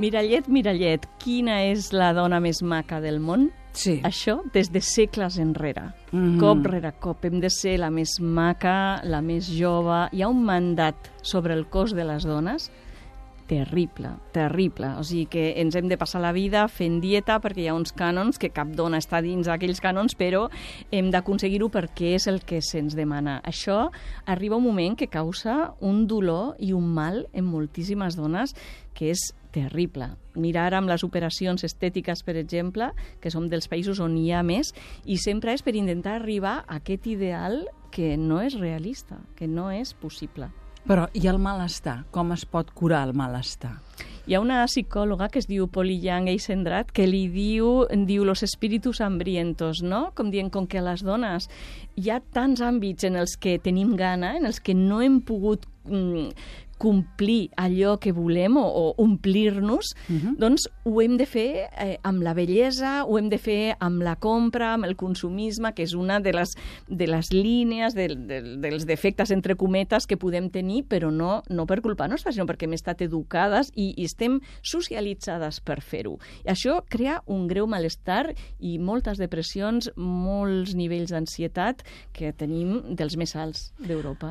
Mirallet, mirallet, quina és la dona més maca del món? Sí. Això des de segles enrere. Cop rere cop hem de ser la més maca, la més jove. Hi ha un mandat sobre el cos de les dones terrible, terrible. O sigui que ens hem de passar la vida fent dieta perquè hi ha uns cànons que cap dona està dins aquells cànons, però hem d'aconseguir-ho perquè és el que se'ns demana. Això arriba un moment que causa un dolor i un mal en moltíssimes dones que és terrible. Mira ara amb les operacions estètiques, per exemple, que som dels països on hi ha més, i sempre és per intentar arribar a aquest ideal que no és realista, que no és possible. Però i el malestar? Com es pot curar el malestar? Hi ha una psicòloga que es diu Polly Young Eisendrath que li diu los espíritus hambrientos, no? Com dient, com que a les dones hi ha tants àmbits en els que tenim gana, en els que no hem pogut complir allò que volem o omplir-nos, doncs ho hem de fer amb la bellesa, ho hem de fer amb la compra, amb el consumisme, que és una de les línies dels defectes, entre cometes, que podem tenir, però no per culpa nostra, sinó perquè hem estat educades i estem socialitzades per fer-ho. I això crea un greu malestar i moltes depressions, molts nivells d'ansietat que tenim dels més alts d'Europa.